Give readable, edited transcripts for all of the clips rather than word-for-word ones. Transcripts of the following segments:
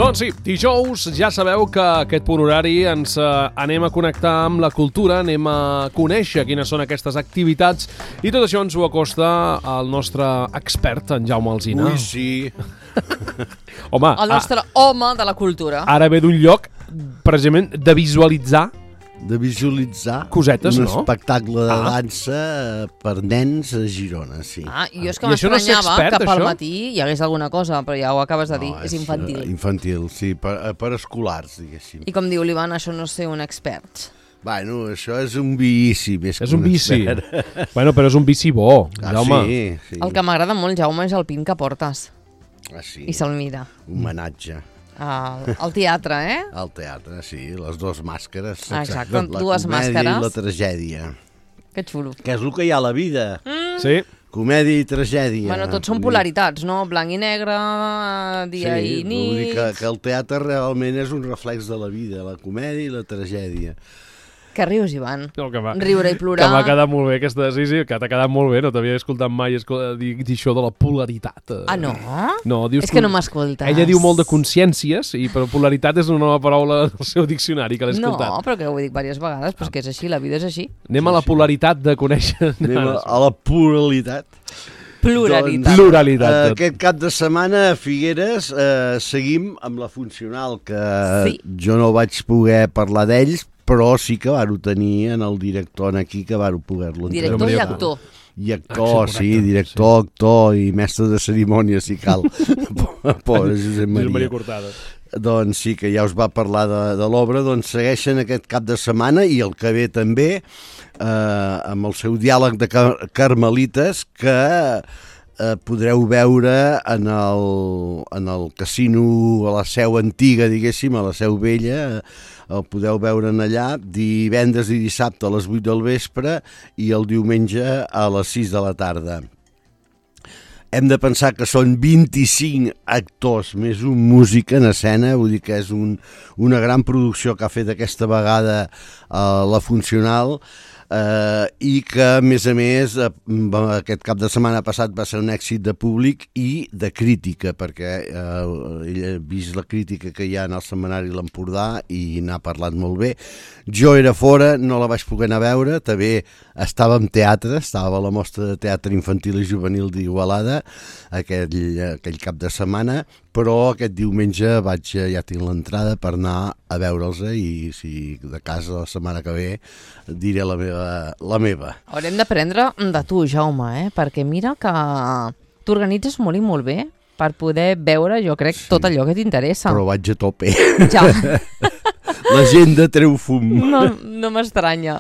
Doncs sí, dijous ja sabeu que aquest punt horari ens anem a connectar amb la cultura, anem a conèixer quines són aquestes activitats i tot això ens ho acosta el nostre expert, en Jaume Alsina. Ui, sí. Home, el nostre home de la cultura. Ara ve d'un lloc, precisament, de visualitzar cosetes, un no? espectacle de dansa per nens a Girona, sí. Jo és que I això no és ser m'estranyava expert, que pel això? matí hi hagués alguna cosa, però ja ho acabes de dir, és infantil. Infantil, sí, per escolars, diguéssim. I com diu l'Ivan, això no és ser un expert. Bueno, això és un vici més que És un vici. Bueno, però és un vici bo, Jaume. Sí. El que m'agrada molt, Jaume, és el pin que portes. Sí. I se'l mira. Homenatge. Al teatre, Al teatre, sí, les dues màscares. Exacte, la dues comèdia màscares. i la tragèdia. Que xulo. Que és el que hi ha a la vida. Sí. Comèdia i tragèdia. Bueno, tots són polaritats, no? Blanc i negre, dia i nit... Sí, vull dir que el teatre realment és un reflex de la vida, la comèdia i la tragèdia. Que rius, Ivan? No, Riure i plorar. Que m'ha quedat molt bé aquesta... Sí, que t'ha quedat molt bé, no t'havia escoltat mai dir això de la polaritat. Ah, no? No, dius és que no m'escoltes. Ella diu molt de consciències, però polaritat és una nova paraula del seu diccionari, que l'he escoltat. No, però que ho he dit diverses vegades, però és que és així, la vida és així. Anem a la polaritat de conèixer... Anem a la pluralitat. Pluralitat. Pluralitat. Aquest cap de setmana a Figueres seguim amb la funcional, que Sí. jo no vaig poder parlar d'ells, però sí que varo tenir en el director aquí que varo poder-lo entrevistar. Director i actor. I actor, sí, director, actor i mestre de cerimònia, si cal. Pobre Josep Maria. Cortada. Doncs sí, que ja us va parlar de l'obra, doncs segueixen aquest cap de setmana i el que ve també amb el seu diàleg de Carmelites que podreu veure en el casino a la Seu Antiga, diguéssim, a la Seu Vella. El podeu veure allà divendres i dissabte a les 8 del vespre i el diumenge a les 6 de la tarda. Hem de pensar que són 25 actors més un músic en escena, vull dir que és una gran producció que ha fet aquesta vegada la Funcional, i que a més aquest cap de setmana passat va ser un èxit de públic i de crítica, perquè ell ha vist la crítica que hi ha en el setmanari l'Empordà i n'ha parlat molt bé. Jo era fora, no la vaig poder anar a veure, també estava en teatre, estava a la mostra de teatre infantil i juvenil d'Igualada aquell cap de setmana, però aquest diumenge ja tinc l'entrada per anar a veure'ls i si de casa la setmana que ve diré la meva. Haurem d'aprendre de tu, Jaume, perquè mira que t'organitzes molt i molt bé per poder veure, jo crec, tot allò que t'interessa. Però vaig a tope. Ja. L'agenda treu fum. No m'estranya.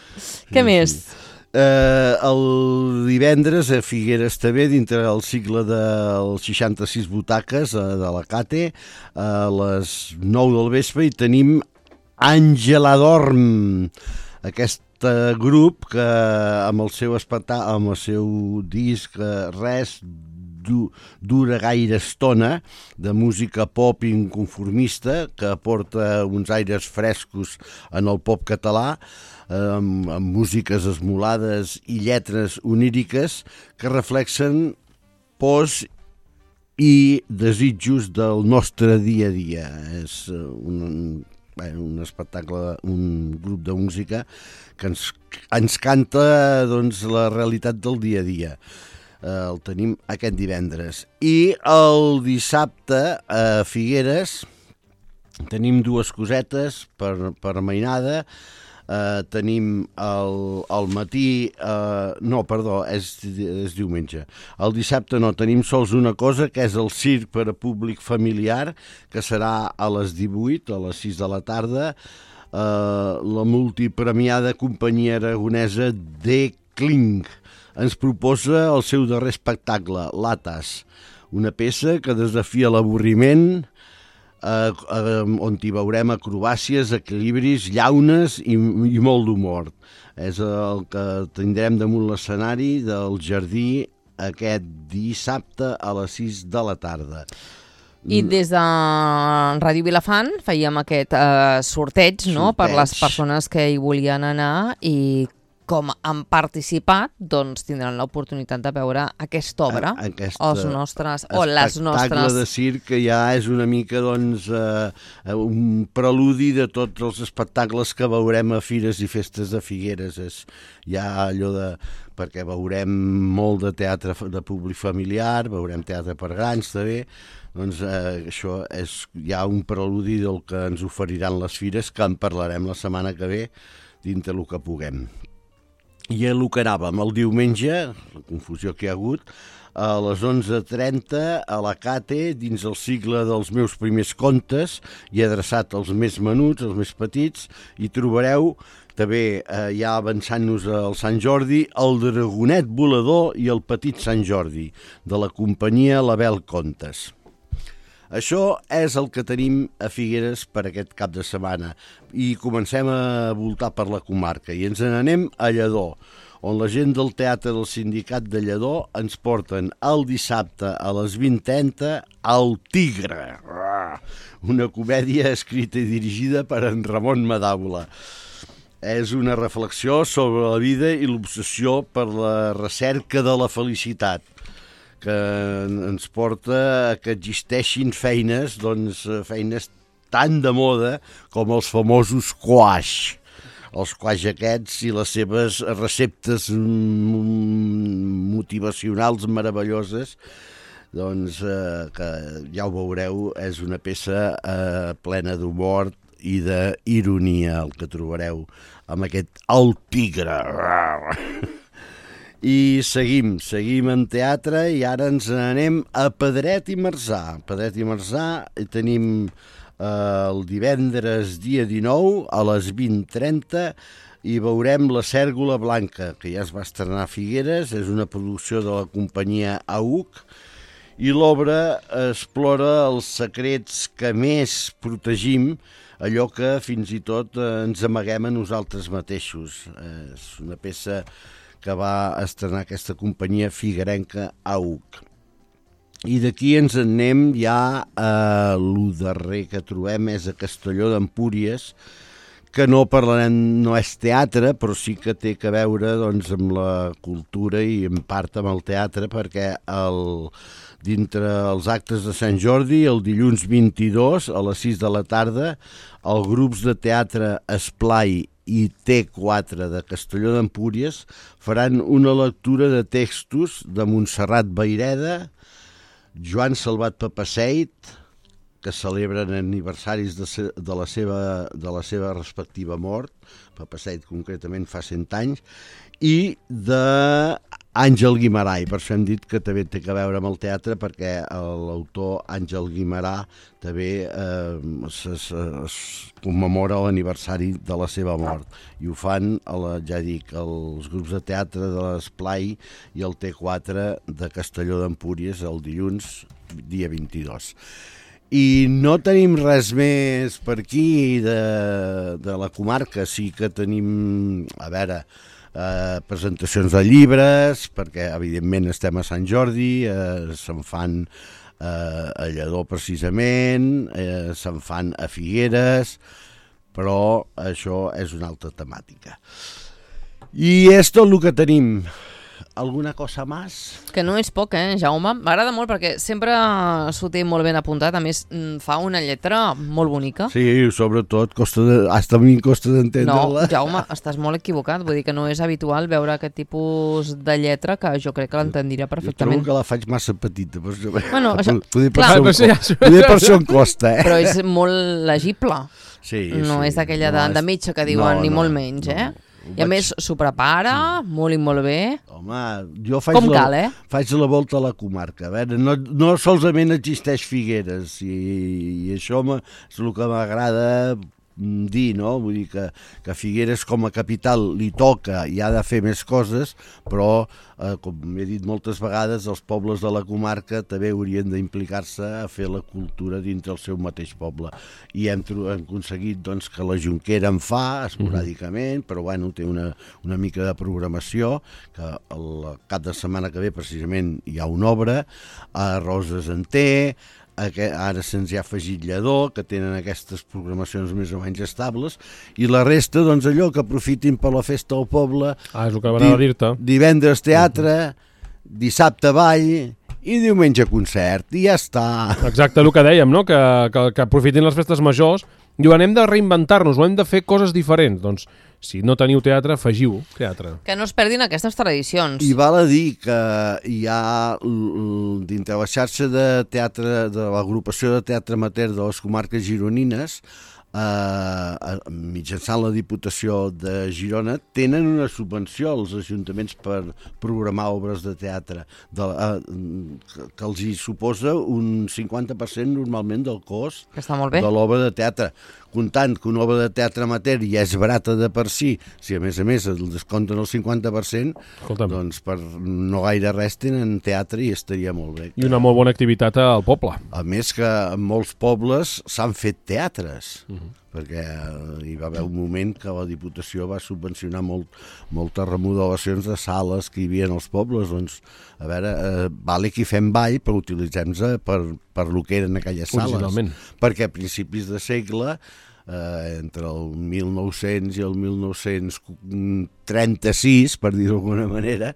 Què més? El divendres a Figueres també, dintre del cicle dels 66 butaques de la Cate, a les 9 del vespre, i tenim Àngela Dorm, aquest grup que amb el seu disc Res dura gaire estona, de música pop inconformista que aporta uns aires frescos en el pop català, amb músiques esmolades i lletres oníriques que reflexen pors i desitjos del nostre dia a dia. És un espectacle, un grup de música que ens canta doncs, la realitat del dia a dia. El tenim aquest divendres. I el dissabte a Figueres tenim dues cosetes per mainada. Tenim al matí... és diumenge. El dissabte tenim sols una cosa, que és el circ per a públic familiar, que serà a les 18, a les 6 de la tarda. La multipremiada companyia aragonesa De Kling ens proposa el seu darrer espectacle, Latas, una peça que desafia l'avorriment, on hi veurem acrobàcies, equilibris, llaunes i molt d'humor. És el que tindrem damunt l'escenari del Jardí aquest dissabte a les 6 de la tarda. I des de Ràdio Vilafant fèiem aquest sorteig, no?, per les persones que hi volien anar. I com han participat, doncs tindran l'oportunitat de veure aquesta obra, els nostres o les nostres... Espectacle de circ que ja és una mica doncs, un preludi de tots els espectacles que veurem a Fires i Festes de Figueres. És ja allò de... perquè veurem molt de teatre de públic familiar, veurem teatre per grans també, doncs això és ja un preludi del que ens oferiran les fires, que en parlarem la setmana que ve dintre el que puguem. I el que anàvem el diumenge, la confusió que hi ha hagut, a les 11:30 a la Cate, dins el cicle dels meus primers contes, i adreçat als més menuts, als més petits, hi trobareu també, ja avançant-nos al Sant Jordi, el Dragonet Volador i el Petit Sant Jordi, de la companyia Label Contes. Això és el que tenim a Figueres per aquest cap de setmana i comencem a voltar per la comarca i ens n'anem a Lledó, on la gent del Teatre del Sindicat de Lledó ens porten el dissabte a les 20:30 El Tigre, una comèdia escrita i dirigida per en Ramon Madávola. És una reflexió sobre la vida i l'obsessió per la recerca de la felicitat, que ens porta a que existeixin feines, doncs feines tan de moda com els famosos quaix. Els quaix aquests i les seves receptes motivacionals meravelloses, doncs que ja ho veureu, és una peça plena d'humor i d'ironia, el que trobareu amb aquest El Tigre. I seguim en teatre i ara ens n'anem a Pedret i Marzà. Pedret i Marzà tenim el divendres dia 19 a les 20:30 i veurem La Cèrgola Blanca, que ja es va estrenar a Figueres, és una producció de la companyia AUC i l'obra explora els secrets que més protegim, allò que fins i tot ens amaguem a nosaltres mateixos. És una peça que va estrenar aquesta companyia figuerenca AUC. I d'aquí ens en anem ja a lo darrer que trobem, és a Castelló d'Empúries, que no parlarem, no és teatre, però sí que té a veure doncs, amb la cultura i en part amb el teatre, perquè dintre els actes de Sant Jordi, el dilluns 22 a les 6 de la tarda, els grups de teatre Esplai i T4 de Castelló d'Empúries faran una lectura de textos de Montserrat Vayreda, Joan Salvat Papaseit, que celebren aniversaris de la seva respectiva mort, Papaseit concretament fa 100 anys, i d'Àngel Guimarà, i per això hem dit que també té a veure amb el teatre, perquè l'autor Àngel Guimarà també es commemora l'aniversari de la seva mort, i ho fan, ja dic, els grups de teatre de l'Esplai i el T4 de Castelló d'Empúries el dilluns, dia 22. I no tenim res més per aquí de la comarca, sí que tenim, a veure, presentacions de llibres, perquè evidentment estem a Sant Jordi, se'n fan a Lledó precisament, se'n fan a Figueres, però això és una altra temàtica. I és tot el que tenim. Alguna cosa més? Que no és poc, Jaume? M'agrada molt perquè sempre s'ho té molt ben apuntat. A més, fa una lletra molt bonica. Sí, sobretot, hasta a mi costa d'entendre-la. No, Jaume, estàs molt equivocat. Vull dir que no és habitual veure aquest tipus de lletra, que jo crec que l'entendria perfectament. Jo trobo que la faig massa petita. Bueno, això, poder per això em costa, Però és molt legible. Sí, no és d'aquella de metge que diuen ni molt menys, I a més s'ho prepara molt i molt bé. Home, jo faig la volta a la comarca. A veure, no solament existeix Figueres i això és el que m'agrada dir, no? Vull dir que Figueres com a capital li toca i ha de fer més coses, però, com he dit moltes vegades, els pobles de la comarca també haurien d'implicar-se a fer la cultura dintre el seu mateix poble. I hem aconseguit doncs, que la Jonquera en fa esporàdicament, però bueno, té una mica de programació, que el cap de setmana que ve precisament hi ha una obra, a Roses en té, ara se'ns hi ha afegit Lledó, que tenen aquestes programacions més o menys estables, i la resta, doncs allò, que aprofitin per la festa del poble. És el que anava a dir-te. Divendres teatre, dissabte ball i diumenge concert, i ja està. Exacte, el que dèiem, no? Que aprofitin les festes majors. Diuen, hem de reinventar-nos, o hem de fer coses diferents. Doncs, si no teniu teatre, afegiu teatre. Que no es perdin aquestes tradicions. I val a dir que hi ha dintre la xarxa de teatre, de l'agrupació de teatre amateur de les comarques gironines, mitjançant la Diputació de Girona, tenen una subvenció als ajuntaments per programar obres de teatre que els hi suposa un 50% normalment del cost de l'obra de teatre. Comptant que una obra de teatre amateur ja és barata de per si a més el descompten el 50%, doncs per no gaire res tenen teatre i estaria molt bé. I una molt bona activitat al poble. A més que en molts pobles s'han fet teatres, perquè hi va haver un moment que la Diputació va subvencionar moltes remodelacions de sales que hi havia als pobles. Doncs, a veure, vale que hi fem ball, però utilitzem-se per el que eren aquelles sales. Perquè a principis de segle, entre el 1900 i el 1936, per dir-ho d'alguna manera,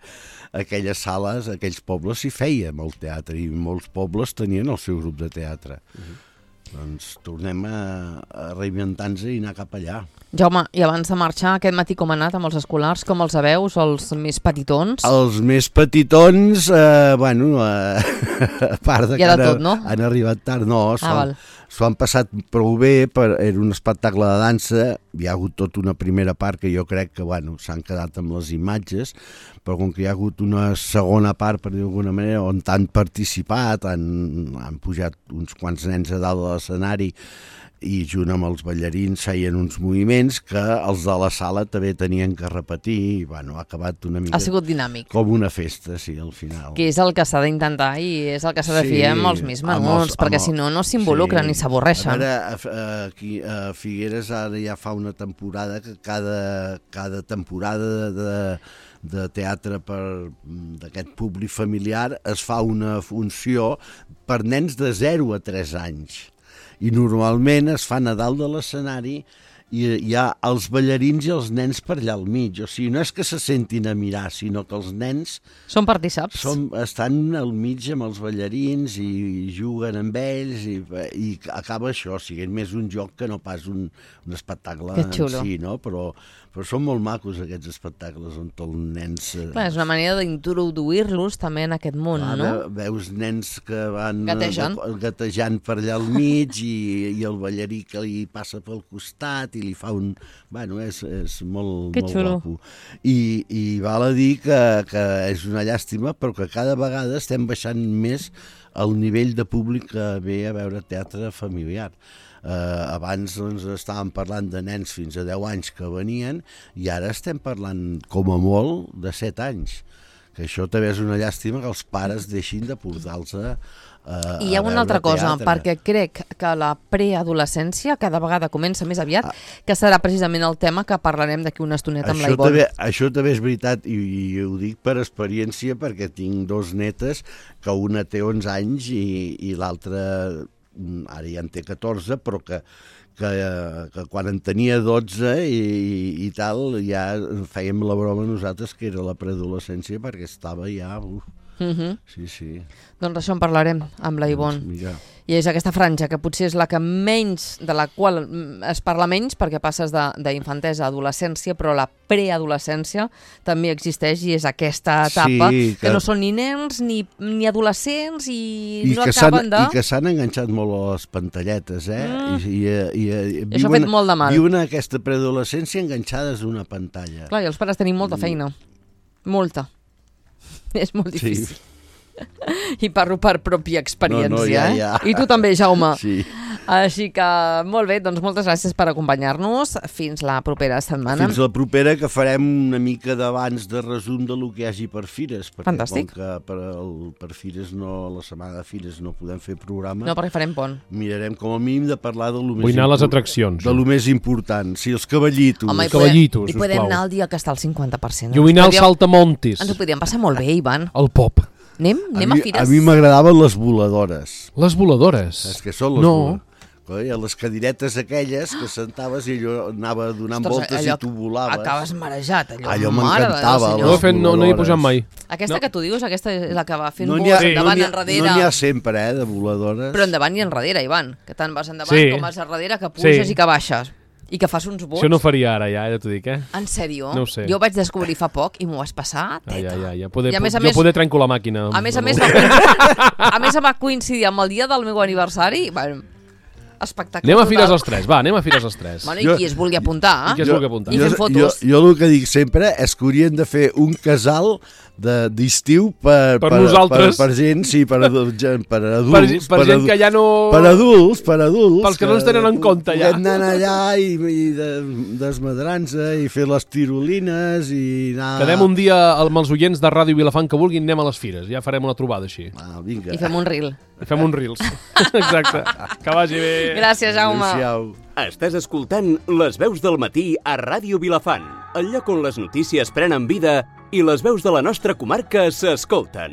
aquelles sales, aquells pobles s'hi feia molt teatre, i molts pobles tenien el seu grup de teatre. Doncs tornem a reinventar-nos i anar cap allà. Jaume, i abans de marxar, aquest matí com ha anat amb els escolars? Com els veus, els més petitons? Els més petitons, a part de que han arribat tard, no, s'ho han passat prou bé, era un espectacle de dansa, hi ha hagut tota una primera part que jo crec que s'han quedat amb les imatges, però com que hi ha hagut una segona part, per dir-ho d'alguna manera, on han participat, han pujat uns quants nens a dalt de l'escenari i junt amb els ballarins feien uns moviments que els de la sala també tenien que repetir i ha acabat una mica... Ha sigut dinàmic. Com una festa, sí, al final. Que és el que s'ha d'intentar i és el que s'ha de fer amb els més menuts, perquè si no, no s'involucren ni s'avorreixen. Aquí a Figueres ara ja fa una temporada que cada temporada de teatre d'aquest públic familiar es fa una funció per nens de 0 a 3 anys. I normalment es fa a dalt de l'escenari i hi ha els ballarins i els nens per allà al mig. O sigui, no és que se sentin a mirar, sinó que els nens... Són partíceps. Estan al mig amb els ballarins i juguen amb ells i acaba això, siguent més un joc que no pas un espectacle en si, no? Però són molt macos aquests espectacles on els nens... Clar, és una manera d'introduir-los també en aquest món, no? Veus nens que van gatejant per allà al mig i el ballarí que li passa pel costat i li fa un... és molt guapo. I val a dir que és una llàstima, però que cada vegada estem baixant més el nivell de públic que ve a veure teatre familiar. Abans estàvem parlant de nens fins a 10 anys que venien i ara estem parlant com a molt de 7 anys, que això també és una llàstima que els pares deixin de portar-los I hi ha una altra cosa, perquè crec que la preadolescència cada vegada comença més aviat, que serà precisament el tema que parlarem d'aquí una estoneta amb la Ivonne. Això també és veritat i ho dic per experiència perquè tinc 2 netes que una té 11 anys i l'altra ara ja en té 14, però que quan en tenia 12 i tal, ja fèiem la broma nosaltres que era la preadolescència perquè estava ja... Sí. Doncs això en parlarem amb la Ivonne. I és aquesta franja que potser és la que de la qual es parla menys perquè passes d'infantesa a adolescència, però la preadolescència també existeix i és aquesta etapa que no són ni nens ni adolescents i no acaben de... I que s'han enganxat molt a les pantalletes, I això ha fet molt de mal. Viuen aquesta preadolescència enganxades a una pantalla. Clar, i els pares tenim molta feina. Molta. És molt difícil. I parlo per pròpia experiència. I tu també, Jaume. Sí. Així que, molt bé, doncs moltes gràcies per acompanyar-nos. Fins la propera setmana. Fins la propera, que farem una mica d'abans de resum de lo que hi hagi per Fires. Fantàstic. Com que per Fires, la setmana de Fires no podem fer programa. No, perquè farem pont. Mirarem com a mínim de parlar de lo més... Vull anar a les atraccions. De lo més important. Sí, els cavallitos. Home, cavallitos, i podem anar el dia que està al 50%. Jo vull anar al Saltamontes. Ens ho podríem passar molt bé, Ivan. El pop. Anem a fires? A mi m'agradaven les voladores. Les voladores? Saps què són les voladores? Les cadiretes aquelles que sentaves i allò anava donant voltes i tu volaves. Acabes marejat, allò. Allò m'encantava. No hi he posat mai. Aquesta que tu dius, aquesta és la que va fent no vols endavant, enrere. No n'hi ha sempre, de voladores. Però endavant i enrere, Ivan. Que tant vas endavant com vas enrere, que puges i que baixes. I que fas uns vols. Això no faria ara, ja t'ho dic, En sèrio? No ho sé. Jo ho vaig descobrir fa poc i m'ho vas passar, teta. Jo poder trenco la màquina. A més, va coincidir amb el dia del meu aniversari. Bueno, espectacle. Anem a fires els tres, anem a fires els tres. Bueno, i qui es vulgui apuntar? I fem fotos. Jo el que dic sempre és que haurien de fer un casal d'estiu per nosaltres. Per gent, sí, per adults. Per gent que ja no... Per adults. Pels que no ens tenen en compte ja. Podem anar allà i desmadrant-se i fer les tirolines i anar... Quedem un dia amb els oients de Ràdio Vilafant que vulguin, anem a les fires. Ja farem una trobada així. Vinga. I fem un reel. I fem un reels. Exacte. Que vagi bé. Gràcies, Jaume. Adéu-siau. Estàs escoltant Les Veus del Matí a Ràdio Vilafant, el lloc on les notícies prenen vida i les veus de la nostra comarca s'escolten.